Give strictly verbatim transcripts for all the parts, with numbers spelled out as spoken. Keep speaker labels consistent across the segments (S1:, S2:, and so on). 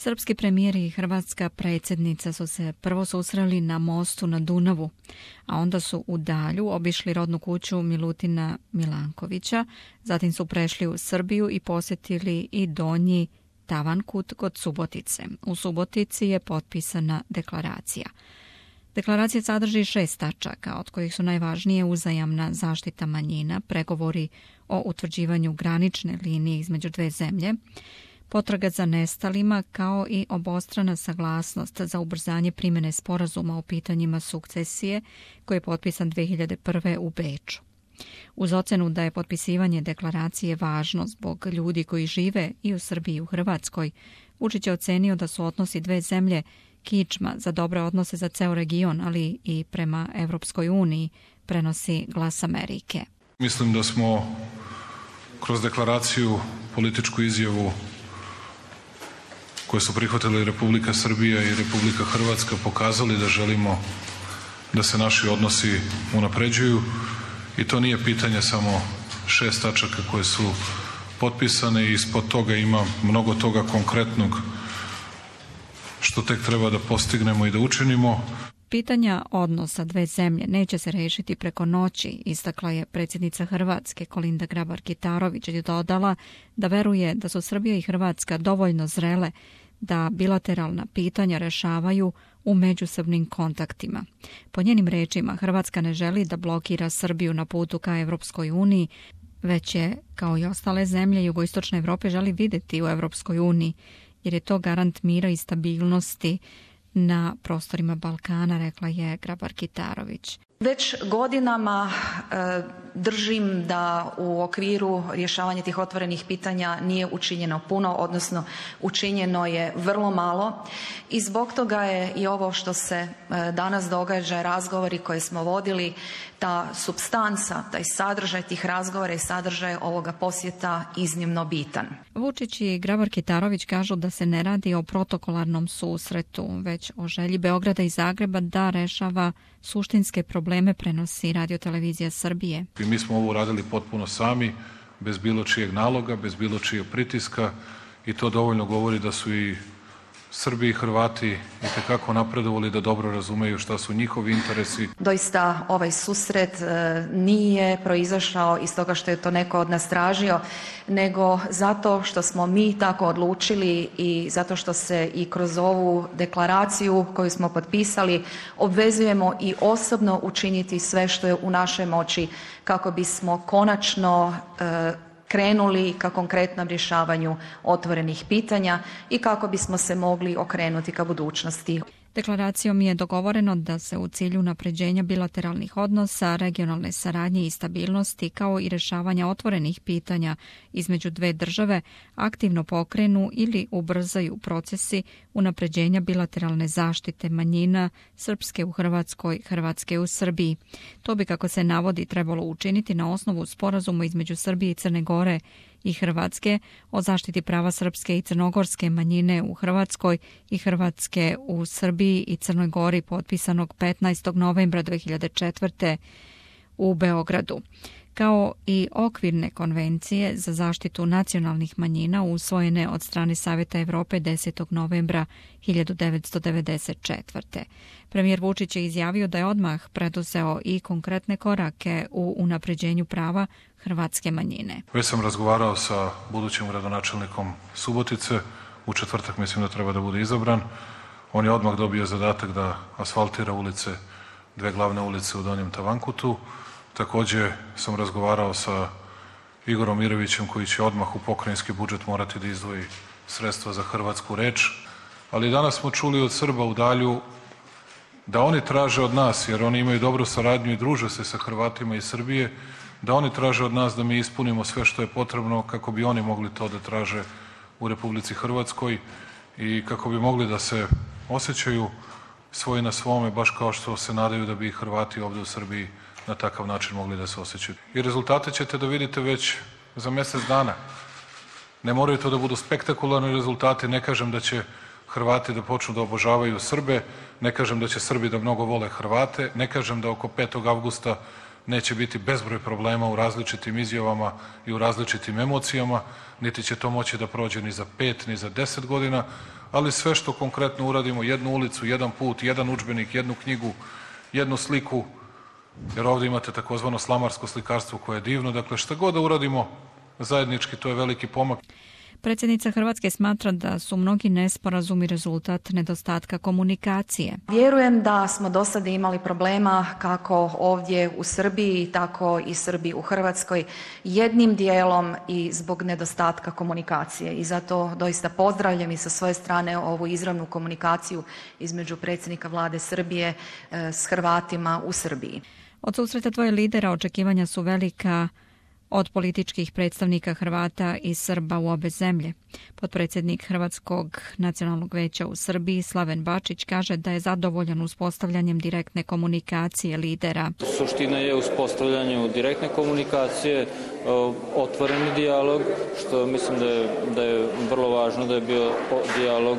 S1: Srpski premijer i hrvatska predsjednica su se prvo susreli na mostu na Dunavu, a onda su u Dalju obišli rodnu kuću Milutina Milankovića, zatim su prešli u Srbiju i posjetili i Donji Tavankut kod Subotice. U Subotici je potpisana deklaracija. Deklaracija sadrži šest tačaka, od kojih su najvažnije uzajamna zaštita manjina, pregovori o utvrđivanju granične linije između dve zemlje, potraga za nestalima kao i obostrana saglasnost za ubrzanje primjene sporazuma o pitanjima sukcesije koji je potpisan dve hiljade prve. u Beču. Uz ocenu da je potpisivanje deklaracije važno zbog ljudi koji žive i u Srbiji i u Hrvatskoj, Vučić je ocenio da su odnosi dve zemlje kičma za dobre odnose za ceo region, ali i prema Evropskoj uniji, prenosi Glas Amerike.
S2: Mislim da smo kroz deklaraciju, političku izjavu koje su prihvatili Republika Srbija i Republika Hrvatska pokazali da želimo da se naši odnosi unapređuju i to nije pitanje samo šest tačaka koje su potpisane i ispod toga ima mnogo toga konkretnog što tek treba da postignemo i da učinimo.
S1: Pitanja odnosa dve zemlje neće se rešiti preko noći, istakla je predsjednica Hrvatske Kolinda Grabar-Kitarović i dodala da veruje da su Srbija i Hrvatska dovoljno zrele da bilateralna pitanja rešavaju u međusobnim kontaktima. Po njenim rečima, Hrvatska ne želi da blokira Srbiju na putu ka Evropskoj uniji, već je, kao i ostale zemlje jugoistočne Evrope, želi videti u Evropskoj uniji, jer je to garant mira i stabilnosti na prostorima Balkana, rekla je Grabar-Kitarović.
S3: Već godinama e, držim da u okviru rješavanja tih otvorenih pitanja nije učinjeno puno, odnosno učinjeno je vrlo malo i zbog toga je i ovo što se e, danas događa, razgovori koje smo vodili, ta supstanca, taj sadržaj tih razgovora i sadržaj ovoga posjeta iznimno bitan.
S1: Vučić i Grabar-Kitarović kažu da se ne radi o protokolarnom susretu, već o želji Beograda i Zagreba da rešava suštinske probleme, prenosi Radio-televizija Srbije.
S2: I mi smo ovo uradili potpuno sami, bez bilo čijeg naloga, bez bilo čijeg pritiska i to dovoljno govori da su i Srbi i Hrvati itekako napredovali da dobro razumeju šta su njihovi interesi.
S3: Doista ovaj susret e, nije proizašao iz toga što je to neko od nas tražio, nego zato što smo mi tako odlučili i zato što se i kroz ovu deklaraciju koju smo potpisali obvezujemo i osobno učiniti sve što je u našoj moći kako bismo konačno e, krenuli ka konkretnom rješavanju otvorenih pitanja i kako bismo se mogli okrenuti ka budućnosti.
S1: Deklaracijom je dogovoreno da se u cilju unapređenja bilateralnih odnosa, regionalne saradnje i stabilnosti, kao i rješavanja otvorenih pitanja između dve države, aktivno pokrenu ili ubrzaju procesi unapređenja bilateralne zaštite manjina Srpske u Hrvatskoj, Hrvatske u Srbiji. To bi, kako se navodi, trebalo učiniti na osnovu sporazuma između Srbije i Crne Gore i Hrvatske o zaštiti prava srpske i crnogorske manjine u Hrvatskoj i Hrvatske u Srbiji i Crnoj Gori, potpisanog petnaestog novembra dve hiljade četvrte. u Beogradu, kao i okvirne konvencije za zaštitu nacionalnih manjina usvojene od strane Saveta Evrope desetog novembra hiljadu devetsto devedeset četvrte. Premijer Vučić je izjavio da je odmah preduzeo i konkretne korake u unapređenju prava hrvatske manjine.
S2: Već sam razgovarao sa budućim gradonačelnikom Subotice, u četvrtak mislim da treba da bude izabran. On je odmah dobio zadatak da asfaltira ulice, dve glavne ulice u Donjem Tavankutu. Takođe sam razgovarao sa Igorom Mirovićem koji će odmah u pokrajinski budžet morati da izdvoji sredstva za hrvatsku reč. Ali danas smo čuli od Srba u Dalju da oni traže od nas, jer oni imaju dobru saradnju i druže se sa Hrvatima iz Srbije, da oni traže od nas da mi ispunimo sve što je potrebno kako bi oni mogli to da traže u Republici Hrvatskoj i kako bi mogli da se osjećaju svoji na svome, baš kao što se nadaju da bi i Hrvati ovde u Srbiji na takav način mogli da se osjećaju. I rezultate ćete da vidite već za mesec dana. Ne moraju to da budu spektakularni rezultati, ne kažem da će Hrvati da počnu da obožavaju Srbe, ne kažem da će Srbi da mnogo vole Hrvate, ne kažem da oko petog avgusta neće biti bezbroj problema u različitim izjavama i u različitim emocijama, niti će to moći da prođe ni za pet, ni za deset godina, ali sve što konkretno uradimo, jednu ulicu, jedan put, jedan udžbenik, jednu knjigu, jednu sliku, jer ovdje imate takozvano slamarsko slikarstvo koje je divno, dakle šta god da uradimo zajednički, to je veliki pomak.
S1: Predsjednica Hrvatske smatra da su mnogi nesporazumi rezultat nedostatka komunikacije.
S3: Vjerujem da smo do sada imali problema kako ovdje u Srbiji, tako i Srbi u Hrvatskoj, jednim dijelom i zbog nedostatka komunikacije. I zato doista pozdravljam i sa svoje strane ovu izravnu komunikaciju između predsjednika vlade Srbije s Hrvatima u Srbiji.
S1: Od susreta dvoje lidera očekivanja su velika od političkih predstavnika Hrvata i Srba u obe zemlje. Potpredsjednik Hrvatskog nacionalnog veća u Srbiji Slaven Bačić kaže da je zadovoljan uspostavljanjem direktne komunikacije lidera.
S4: Suština je uspostavljanje direktne komunikacije, otvoreni dijalog, što mislim da je, da je vrlo važno, da je bio dijalog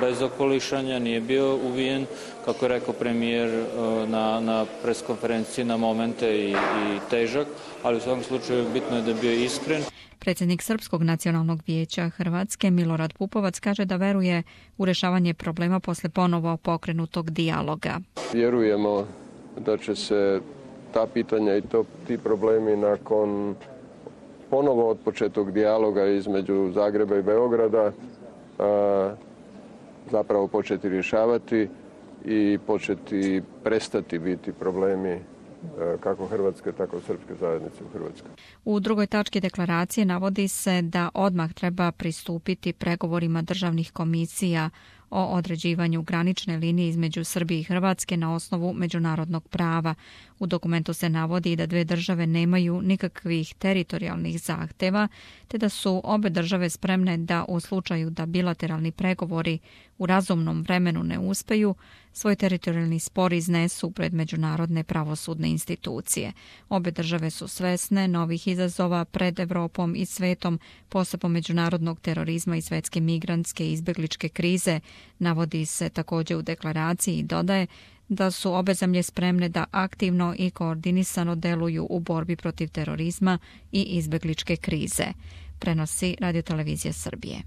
S4: bez okolišanja, nije bio uvijen, kako je rekao premijer na, na preskonferenciji, na momente i, i težak, ali u svakom slučaju bitno je da je bio iskren.
S1: Predsjednik Srpskog nacionalnog vijeća Hrvatske Milorad Pupovac kaže da veruje u rješavanje problema posle ponovo pokrenutog dijaloga.
S5: Vjerujemo da će se ta pitanja i to, ti problemi nakon ponovo otpočetog dijaloga između Zagreba i Beograda a, zapravo početi rješavati i početi prestati biti problemi kako Hrvatske, tako srpske zajednice u Hrvatskoj.
S1: U drugoj tački deklaracije navodi se da odmah treba pristupiti pregovorima državnih komisija o određivanju granične linije između Srbije i Hrvatske na osnovu međunarodnog prava. U dokumentu se navodi da dve države nemaju nikakvih teritorijalnih zahteva, te da su obe države spremne da u slučaju da bilateralni pregovori u razumnom vremenu ne uspeju, svoj teritorijalni spor iznesu pred međunarodne pravosudne institucije. Obe države su svesne novih izazova pred Evropom i svetom, posebno međunarodnog terorizma i svetske migrantske i izbjegličke krize, navodi se također u deklaraciji i dodaje da su obe zemlje spremne da aktivno i koordinisano deluju u borbi protiv terorizma i izbjegličke krize. Prenosi Radio Televizija Srbije.